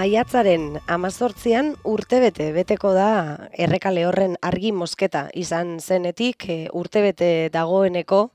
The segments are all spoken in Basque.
Maiatzaren 18an urtebete beteko da Errekale horren argi mosketa izan zenetik urtebete dagoeneko,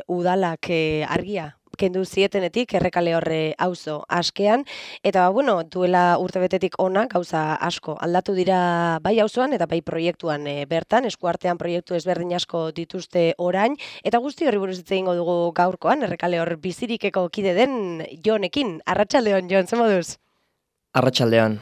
udalak argia kendu zietenetik Errekale horre auzo askean, eta duela urtebetetik ona gauza asko aldatu dira bai auzoan eta bai proiektuan bertan, eskuartean proiektu ezberdin asko dituzte orain, eta guzti horri buruz hitz egingo dugu gaurkoan, Errekale hor bizirikeko kide den Jonekin. Arratsaldeon, Jon, ze moduz? Arratsaldeon.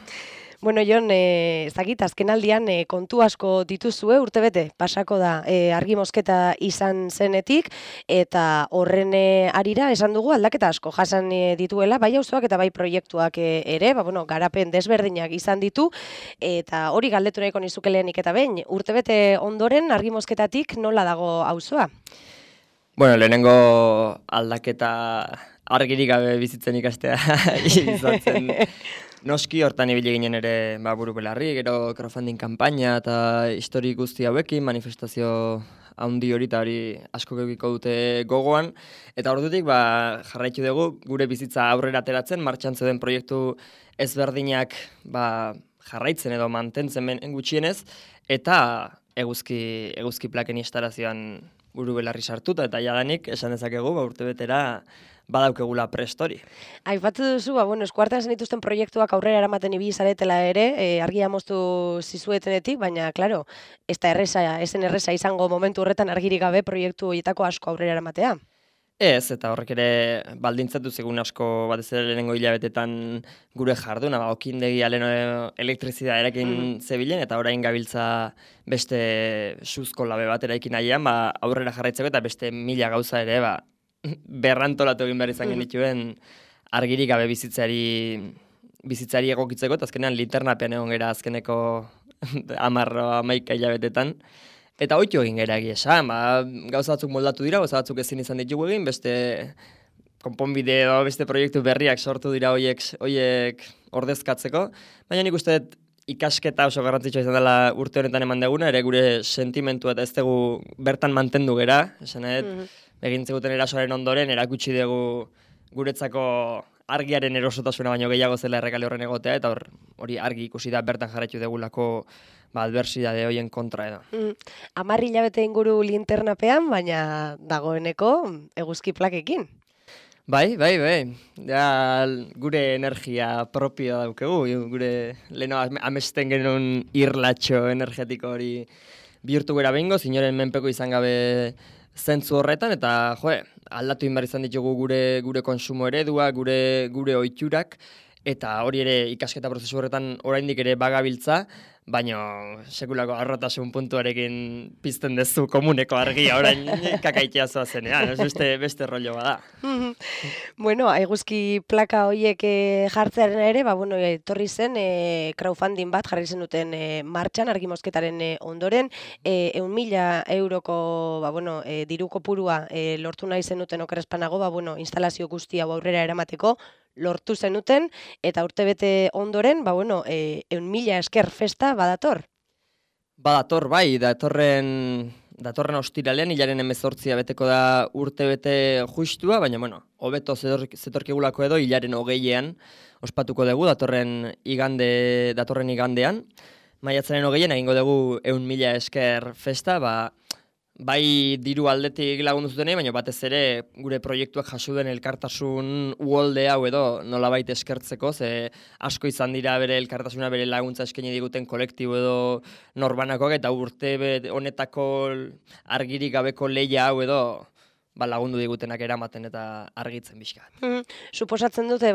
Bueno, Jon, ezagit, azkenaldian kontu asko dituzue urtebete, pasako da argi mosketa izan zenetik, eta horren arira esan dugu aldaketa asko jasan dituela, bai auzoak eta bai proiektuak ere, garapen desberdinak izan ditu, eta hori galdetu nahiko nizuke lehenik eta behin, urtebete ondoren argi mosketatik nola dago auzoa? Bueno, lehenengo aldaketa argirik gabe bizitzen ikastea izan zen. Noski hortan ibili ginen ere buru belarri, gero crowdfunding kanpaina eta histori guzti hauekin, manifestazio handi hori eta hori asko geukiko dute gogoan. Eta ordutik jarraitu dugu gure bizitza aurrera ateratzen, martxan zeuden proiektu ezberdinak jarraitzen edo mantentzen gutxienez, eta eguzki plaken instalazioan buru belarri sartuta, eta jadanik esan dezakegu urtebetera badaukegula prest hori. Aipatu duzu, eskuartean zen dituzten proiektuak aurrera eramaten ibili zaretela ere, argia moztu zizuetenetik, baina, klaro, ez zen erresa izango momentu horretan argirik gabe proiektu horietako asko aurrera eramatea. Ez, eta horrek ere baldintzatu zegoen asko batez ere lehenengo hilabetetan gure jarduna, okindegia lehen elektrizitatea erakin zebilen, eta orain gabiltza beste suzko labe bat eraikin nahian, aurrera jarraitzeko eta beste 1000 gauza ere, berrantolatu egin behar izan genituen argirik gabe bizitzari egokitzeko, eta azkenean linternapean egon gera azkeneko 10-11 hilabetetan. Eta oitu egin gara egia esan, gauza batzuk moldatu dira, gauza batzuk ezin izan ditugu egin, beste konponbide edo beste proiektu berriak sortu dira horiek ordezkatzeko, baina nik uste dut ikasketa oso garrantzitsua izan dela urte honetan eman deguna, ere gure sentimentua eta ez dugu bertan mantendu gera, esan egintzeguten erasoaren ondoren, erakutsi dugu guretzako argiaren erosotasuna baino gehiago zela Errekale horren egotea, eta hori argi ikusi da bertan jarraitu degulako adversidade horien kontra edo. 10 hilabete inguru linternapean, baina dagoeneko eguzki plakekin. Bai. Ja, gure energia propioa daukegu, gure leheno amesten genuen irlatxo energetiko hori bihurtu gara behingo, inoren menpeko izan gabe zentzu horretan, eta aldatu inbar izan ditugu gure konsumo eredua, gure ohiturak, eta hori ere ikasketa prozesu horretan oraindik ere bagabiltza, baina sekulako arrotasun puntuarekin pizten dezu komuneko argia orain kakaitea zoazenean, beste rollo bada. Eguzki plaka horiek jartzearen ere, etorri zen crowdfunding bat jarri zenuten martxan argi mosketaren ondoren, 100.000 euroko diru kopurua lortu nahi zenuten okerrespanago, instalazio guzti hau aurrera eramateko, lortu zenuten, eta urtebete ondoren, 100.000 esker festa badator. Badator, bai, datorren ostiralean, hilaren 18 beteko da urtebete justua, baina, hobeto zetorkigulako edo, hilaren 20ean ospatuko dugu, datorren igandean. Maiatzaren 20ean egingo dugu 100.000 esker festa, bai diru aldetik lagundu zutenei, baina batez ere gure proiektuak jaso den elkartasun uholde hau edo nolabait eskertzeko, ze asko izan dira bere elkartasuna, bere laguntza eskaini diguten kolektibo edo norbanakoak, eta urte honetako argirik gabeko lehia hau edo lagundu digutenak eramaten eta argitzen bizka. Suposatzen dute,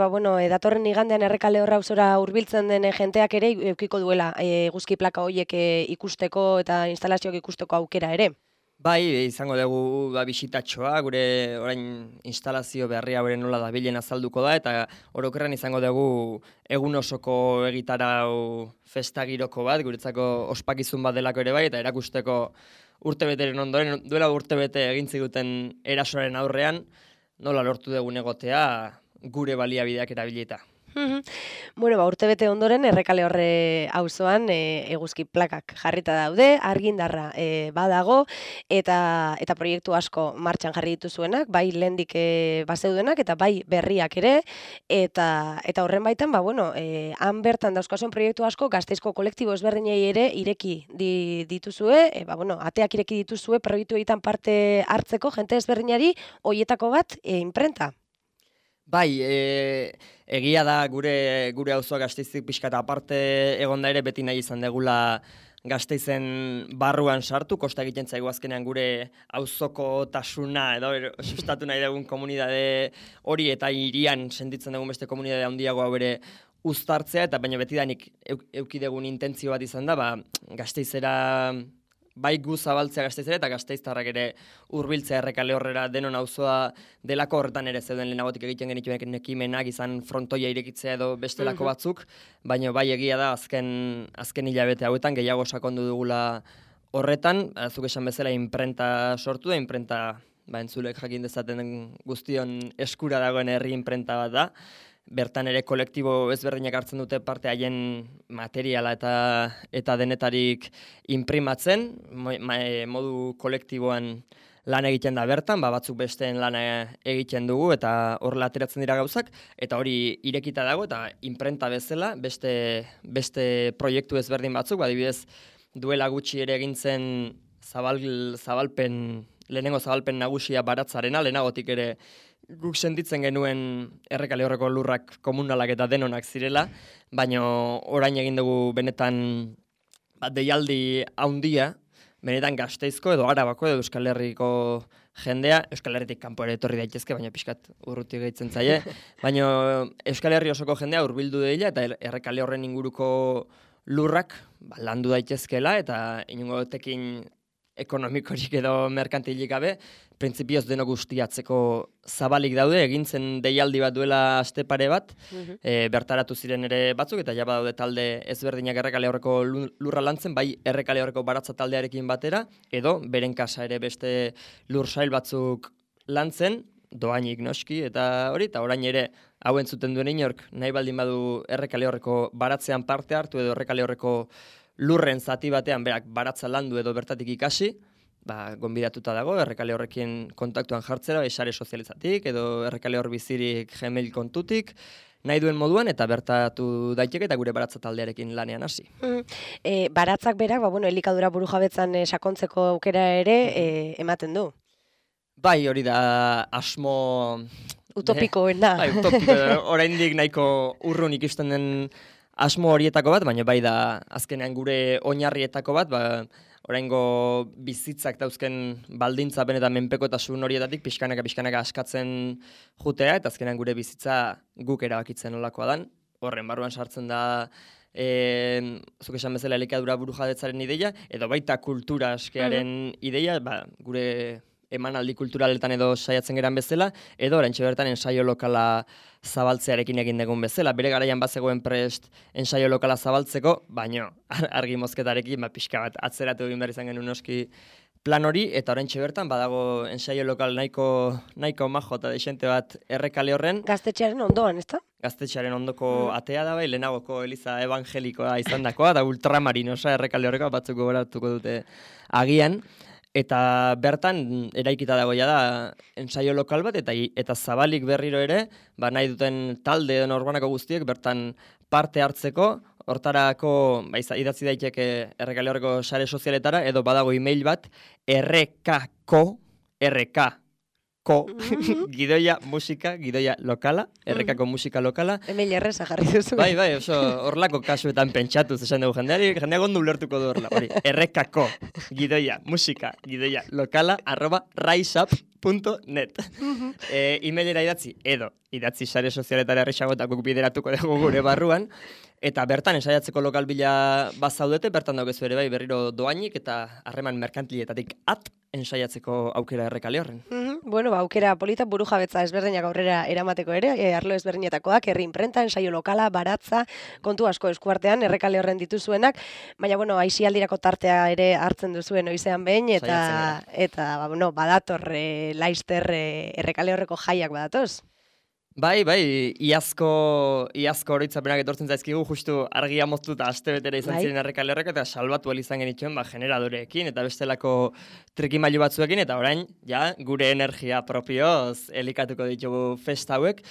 datorren igandean Errekale horra auzora hurbiltzen den jenteak ere edukiko duela eguzki plaka horiek ikusteko eta instalazioak ikusteko aukera ere. Bai, izango dugu bisitatxoa, gure orain instalazio berria bere nola dabilen azalduko da, eta orokorrean izango dugu egun osoko egitarau festagiroko bat, guretzako ospakizun bat delako ere bai, eta erakusteko urtebeteren ondoren, duela urtebete egintziguten erasoaren aurrean, nola lortu dugun egotea gure baliabideak erabilita. Bueno, urtebete ondoren Errekale Horre auzoan eguzki plakak jarrita daude, argindarra badago eta proiektu asko martxan jarri dituzuenak, bai lehendik bazeudenak eta bai berriak ere eta horren baitan han bertan dauzkazuen proiektu asko Gasteizko kolektibo ezberdinei ere ireki dituzue, ateak ireki dituzue proiektu egiten parte hartzeko jente ezberdinari hoietako bat imprenta. Bai, egia da gure auzoa Gasteizik pixkat aparte egonda ere beti nahi izan degula Gasteizen barruan sartu, kosta egiten zaigu azkenean gure auzoko tasuna edo sustatu nahi dugun komunidade hori eta hirian sentitzen dugun beste komunidade handiagoa bere uztartzea, eta baina betidanik eukidegun intentzio bat izan da, Gasteizera bai gu zabaltzea Gasteizera eta gasteiztarrak ere hurbiltzea Errekale Horrera denon auzoa delako, horretan ere zeuden lehenagotik egiten genituen ekimenak izan frontoia irekitzea edo bestelako batzuk, baina bai egia da azken hilabete hauetan gehiago sakondu dugula horretan, zuk esan bezala imprenta sortu da, imprenta entzulek jakin dezaten guztion eskura dagoen herri imprenta bat da. Bertan ere kolektibo ezberdinak hartzen dute parte haien materiala eta denetarik imprimatzen, modu kolektiboan lan egiten da bertan, batzuk besteen lana egiten dugu eta horrela ateratzen dira gauzak, eta hori irekita dago eta imprenta bezala beste proiektu ezberdin batzuk, adibidez duela gutxi ere egintzen lehenengo zabalpen nagusia Baratzarena, lehenagotik ere guk sentitzen genuen Errekale Horreko lurrak komunalak eta denonak zirela, baina orain egin dugu benetan deialdi handia, benetan Gasteizko edo Arabako edo Euskal Herriko jendea, Euskal Herritik kanpo ere etorri daitezke, baina pixkat urruti gehitzen zaie, baina Euskal Herri osoko jendea hurbildu deila eta Errekale Horren inguruko lurrak landu daitezkela eta inongo tekin ekonomikorik edo merkantilik gabe, printzipioz deno guztiatzeko zabalik daude, egintzen deialdi bat duela aste pare bat, bertaratu ziren ere batzuk, eta ja badaude talde ezberdinak Errekale Horreko lurra lantzen, bai Errekale Horreko Baratza taldearekin batera, edo beren kasa ere beste lur sail batzuk lantzen, doainik noski, eta hori, eta orain ere hau entzuten duen inork, nahi baldin badu Errekale Horreko baratzean parte hartu, edo Errekale Horreko lurren zati batean berak baratza landu edo bertatik ikasi, gonbidatuta dago, Errekale Horrekin kontaktuan jartzera, sare sozializatik, edo Errekale Hor bizirik Gmail kontutik, nahi duen moduan, eta bertatu daiteke eta gure baratza taldearekin lanean hasi. Baratzak berak, elikadura burujabetzan sakontzeko aukera ere ematen du. Bai, hori da asmo utopikoena. Bai, utopiko, oraindik nahiko urrun ikusten den asmo horietako bat, baina bai da azkenean gure oinarrietako bat, oraingo bizitzak dauzken baldintza benetan menpekotasun horietatik pixkanaka askatzen jutea, eta azkenean gure bizitza guk erabakitzen nolakoa dan. Horren barruan sartzen da zuk esan bezala elikadura burujabetzaren ideia, edo baita kultura askearen ideia, gure emanaldi kulturaletan edo saiatzen geran bezala, edo oraintxe bertan ensaio lokala zabaltzearekin egin dugun bezala. Bere garaian bazegoen prest ensaio lokala zabaltzeko, baina argi mozketarekin pixka bat atzeratu egin behar izan genuen noski plan hori, eta oraintxe bertan badago ensaio lokal nahiko majo eta desente bat Errekale Horren. Gaztetxearen ondoan, ezta? Gaztetxearen ondoko atea da bai, lehenagoko eliza evangelikoa izan dakoa, da ultramarinosa Errekale Horreko batzuk gogoratuko dute agian. Eta bertan eraikita dagoia da ensaio lokal bat, eta zabalik berriro ere, nahi duten talde edo norbanako guztiek bertan parte hartzeko, hortarako idatzi daiteke Errekale Horreko sare sozialetara, edo badago e-mail bat, gidoia musika, gidoia lokala, Errekako musika lokala. Email erreza jarri duzu. Bai, oso horlako kasuetan pentsatuz esan dugu jendeari, jendeak ondo ulertuko du horrela. Errekako gidoia musika, gidoia lokala, @riseup.net. E-mailera idatzi, edo idatzi sare sozialetara errexago eta guk bideratuko dugu gure barruan, eta bertan ensaiatzeko lokal bila bazaudete, bertan daukezu ere berriro doainik eta harreman merkantiletatik ensaiatzeko aukera Errekale Horren. Aukera polita burujabetza ezberdinak aurrera eramateko ere, arlo ezberdinetakoak, herri imprenta, ensaio lokala, baratza, kontu asko eskuartean Errekale Horren dituzuenak, baina aisialdirako tartea ere hartzen duzuen oizean behin, eta badator laizter Errekale Horreko jaiak badatoz. Bai, iazko oroitzapenak etortzen zaizkigu, justu argia moztu eta aste betera izan ziren Errekale horrek, eta salbatu ahal izan genituen generadoreekin eta bestelako trikimailu batzuekin, eta orain, gure energia propioz elikatuko ditugu festa hauek.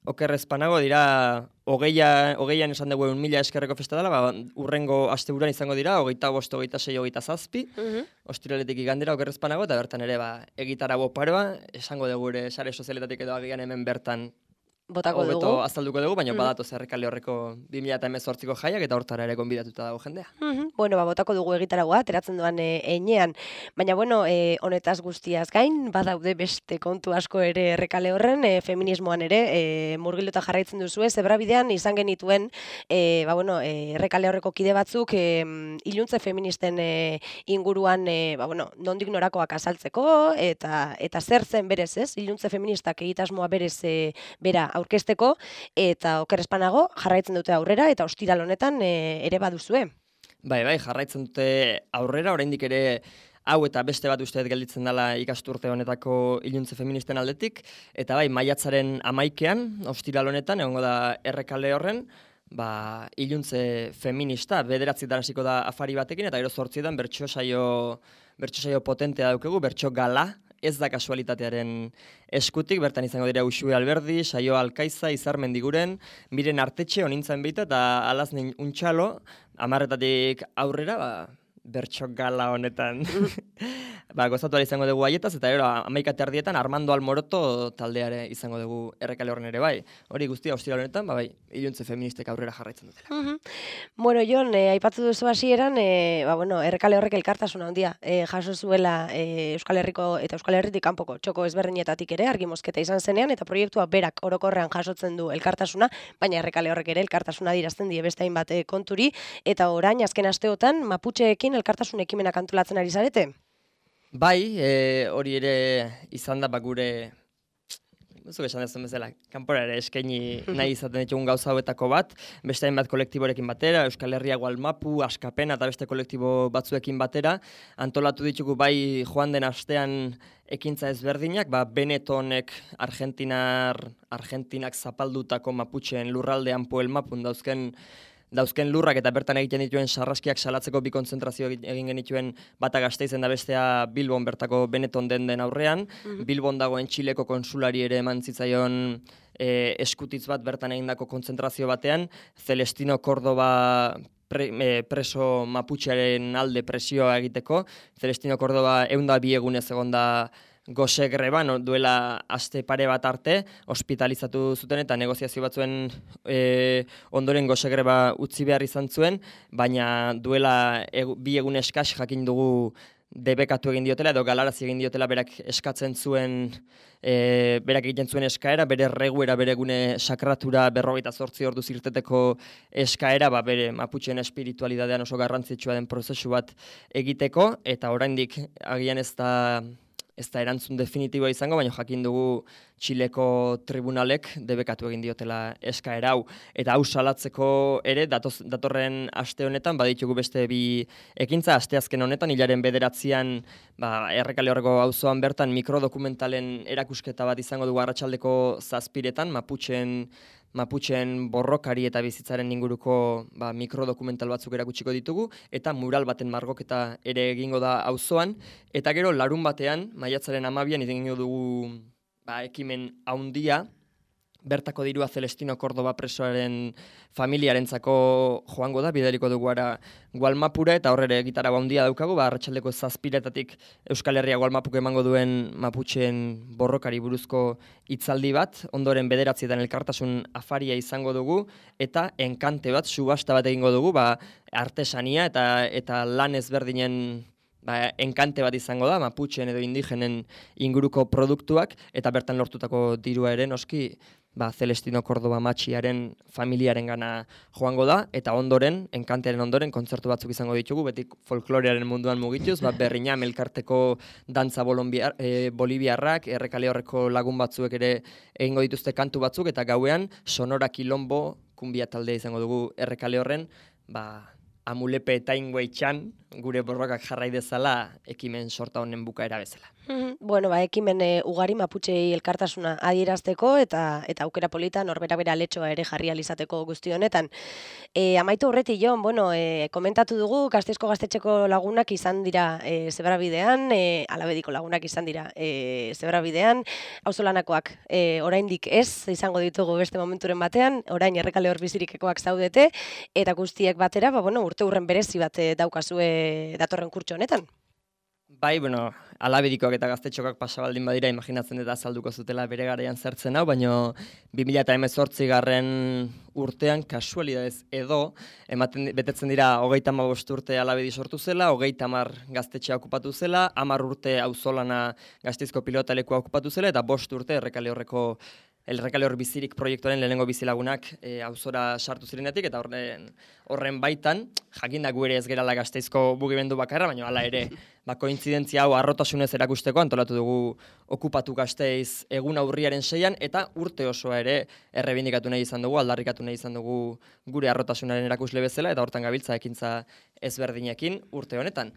Okerrezpanago dira, hogeian esan dugu 1.000 eskerreko festa dela, urrengo asteburuan izango dira, 25, 26, 27, ostiraletik igandera okerrezpanago, eta bertan ere egitaragो paroa, esango dugu ere sare sozialetatik edo agian hemen bertan botako dugu. Hobeto azalduko dugu, baina badatoz Errekale horreko 2018ko jaiak eta hortara ere gonbidatuta dago jendea. Bueno, botako dugu egitaragoa, ateratzen duan enean. Baina, bueno, honetaz guztiaz gain, badaude beste kontu asko ere Errekale horren, feminismoan ere, murgilduta jarraitzen duzue, zebrabidean izan genituen, Errekale horreko kide batzuk, iluntze feministen inguruan, nondik norakoak azaltzeko, eta zer zen berez, ez? Iluntze feministak egitasmoa berez bera aurkezteko, eta okerrezpanago jarraitzen dute aurrera, eta ostiral honetan ere baduzue. Bai, jarraitzen dute aurrera, oraindik ere hau eta beste bat usteet gelditzen dela ikasturte honetako iluntze feministen aldetik, eta maiatzaren 11ean, ostiral honetan, egongo da Errekale horren, iluntze feminista, 9 hasiko da afari batekin, eta gero 8 bertso saio potentea daukagu, bertso gala, ez da kasualitatearen eskutik, bertan izango dira Uxue Alberdi, Saio Alkaiza, Izar Mendiguren, Miren Artetxe, Onintzen Beita, eta Alaznin Untxalo, 10 aurrera, bertso gala honetan. Gozatu izango dugu haietaz, eta gero 11 Armando Almoroto taldeare izango dugu Errekale horren ere bai. Hori guztia ostiral honetan, iluntze feministek aurrera jarraitzen dutela. Bueno, Jon, aipatu duzu hasieran, Errekale horrek elkartasuna handia jaso zuela Euskal Herriko eta Euskal Herritik kanpoko txoko ezberdinetatik ere argi mozketa izan zenean, eta proiektua berak orokorrean jasotzen du elkartasuna, baina Errekale horrek ere elkartasuna adierazten die beste hainbat konturi, eta orain azken asteotan Maputxeekin elkartasun ekimenak antolatzen ari zarete? Bai, hori ere izan da gure, zuk esan dezun bezala, kanpora ere eskaini nahi izaten ditugun gauza hauetako bat, beste hainbat kolektiborekin batera, Euskal Herria Gualmapu, Askapena eta beste kolektibo batzuekin batera, antolatu ditugu bai joan den astean ekintza ezberdinak, Benetonek Argentinak zapaldutako Maputxeen lurraldean Poel Mapun dauzken lurrak eta bertan egiten dituen sarraskiak salatzeko bi kontzentrazio egin genituen bata Gasteizen da bestea Bilbon bertako Beneton den aurrean. Bilbon dagoen Txileko konsulari ere eman zitzaion eskutitz bat bertan egindako kontzentrazio batean. Celestino Córdoba preso Maputxearen alde presioa egiteko. Celestino Córdoba 102 egunez egonda gose greban, duela aste pare bat arte, ospitalizatu zuten eta negoziazio batzuen ondoren gose greba utzi behar izan zuen, baina duela 2 egun eskas jakin dugu debekatu egin diotela edo galarazi egin diotela berak eskatzen zuen, berak egiten zuen eskaera, bere reguera, bere gune sakratura 48 ordu zirteteko eskaera, bere Maputxeen espiritualidadean oso garrantzitsua den prozesu bat egiteko, eta oraindik agian ez da erantzun definitiboa izango, baina jakin dugu Txileko tribunalek debekatu egin diotela eskaera hau. Eta hau salatzeko ere, datorren aste honetan, baditugu beste bi ekintza, asteazken honetan, hilaren 9an, Errekale horreko auzoan bertan mikrodokumentalen erakusketa bat izango dugu arratsaldeko 7 Maputxeen borrokari eta bizitzaren inguruko mikrodokumental batzuk erakutsiko ditugu, eta mural baten margoketa ere egingo da auzoan, eta gero larun batean, maiatzaren 12an egingo dugu ekimen haundia, bertako dirua Celestino Córdoba presoaren familiarentzako joango da, bidaliko dugu ara Gualmapura, eta horrere gitara haundia daukagu, arratsaldeko 7 Euskal Herria Gualmapuk emango duen Maputxeen borrokari buruzko hitzaldi bat, ondoren 9 elkartasun afaria izango dugu, eta enkante bat, subasta bat egingo dugu, artesania eta lan ezberdinen enkante bat izango da, Maputxeen edo indigenen inguruko produktuak, eta bertan lortutako dirua ere noski, Celestino Córdoba matxiaren familiaren gana joango da, eta ondoren, enkantearen ondoren, kontzertu batzuk izango ditugu, beti folklorearen munduan mugituz, Berriñam elkarteko dantza boliviarrak, Errekale horreko lagun batzuek ere egingo dituzte kantu batzuk, eta gauean Sonora Quilombo kumbia talde izango dugu Errekale horren, Amulepe eta Inguei txan, gure borrokak jarrai dezala ekimen sorta honen bukaera bezala. Bueno, ekimen ugari Maputxei elkartasuna adierazteko eta aukera polita norbera bera letxoa ere jarri alizateko guzti honetan. Amaitu horretik, Jon, bueno, komentatu dugu Gasteizko gaztetxeko lagunak izan dira Zebrabidean, Alabediko lagunak izan dira Zebrabidean, auzolanakoak oraindik ez izango ditugu beste momenturen batean, orain Errekale hor bizirikekoak zaudete, eta guztiek batera, urte hurren berezi bat daukazue datorren kurtso honetan. Bai, Alabedikoak eta gaztetxokak pasabaldin badira, imaginatzen dut azalduko zutela bere garaian zertzen hau, baina 2018 urtean, kasualidadez edo, betetzen dira 35 urte Alabedi sortu zela, 30 gaztetxea okupatu zela, 10 urte auzolana Gasteizko pilotalekua okupatu zela, eta 5 urte Errekale hor bizirik proiektuaren lehenengo bizilagunak auzora sartu zirenetik, eta horren baitan, jakinda gu ere ez gerala Gasteizko mugimendu bakarra, baina hala ere, kointzidentzia hau arrotasunez erakusteko antolatu dugu okupatu Gasteiz eguna urriaren 6an, eta urte osoa ere errebindikatu nahi izan dugu, aldarrikatu nahi izan dugu gure arrotasunaren erakusle bezala, eta hortan gabiltza ekintza ezberdinekin urte honetan.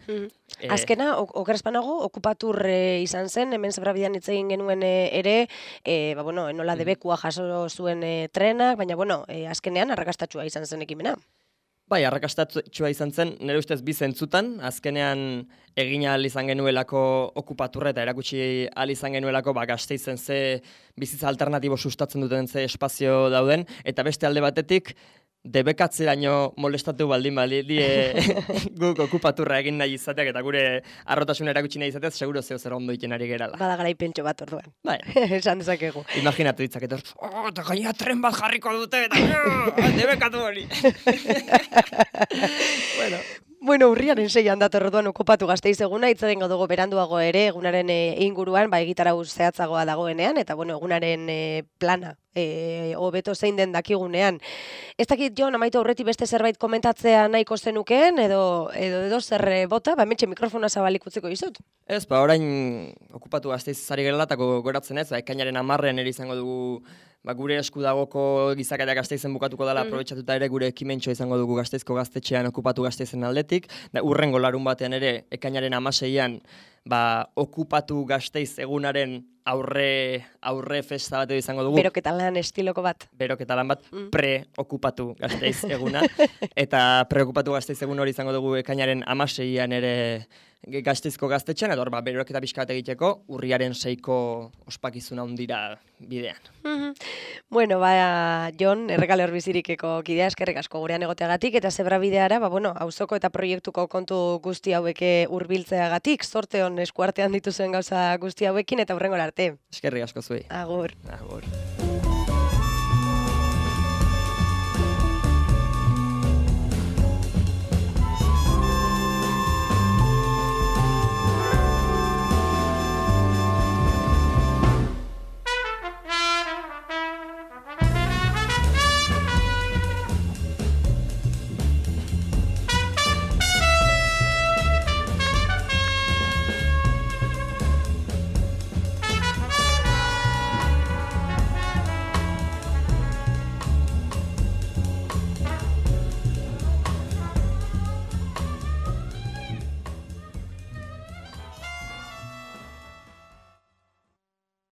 Azkena, okerrezpanago, okupatur izan zen, hemen Zebrabidean hitz egin genuen ere, nola debekua jaso zuen trenak, baina, azkenean arrakastatxua izan zen ekimena. Bai, arrakastatxua izan zen, nire ustez bi zentzutan, azkenean egin ahal izan genuelako okupaturra eta erakutsi ahal izan genuelako Gasteizen ze bizitza alternatibo sustatzen duten ze espazio dauden, eta beste alde batetik, debekatzeraino molestatu baldin guk okupaturra egin nahi izateak eta gure arrotasuna erakutsi nahi izateaz, seguro zeo zer ondo iten ari gerala. Bada garaipentxo bat orduan. Bai. Esan dezakegu. Imaginatu ditzaket hor, eta gaina tren bat jarriko dute, eta debekatu hori. Urriaren 6an dator orduan okupatu Gasteiz eguna, hitz egingo dugu beranduago ere egunaren inguruan, egitarau zehatzagoa dagoenean, eta egunaren plana hobeto zein den dakigunean. Ez dakit, Jon, amaitu aurretik beste zerbait komentatzea nahiko zenukeen, edo zer bota, hementxe mikrofona zabalik utziko dizut. Ez, orain okupatu Gasteiz zari gerelatako goratzen ez, ekainaren 10 ere izango dugu gure esku dagoko gizakaria Gasteizen bukatuko dela, aprobetxatuta ere gure ekimentxoa izango dugu Gasteizko gaztetxean okupatu Gasteizen aldetik, urrengo larun batean ere ekainaren 16an okupatu Gasteiz egunaren aurre festa bat izango dugu. Beroketalan estiloko bat. Beroketalan bat, pre-okupatu Gasteiz eguna, eta pre-okupatu Gasteiz egun hori izango dugu ekainaren 16an ere Gasteizko gaztetxean, edo beroketa pixka bat egiteko, urriaren 6ko ospakizuna hundira bidean. Jon, Errekale hor bizirikeko kidea eskerrik asko gurean egoteagatik, eta Zebrabideara, auzoko eta proiektuko kontu guzti hauek hurbiltzeagatik, zorte hon eskuartean dituzuen gauza guzti hauekin, eta hurrengora arte. Eskerrik asko zuei. Agur. Agur.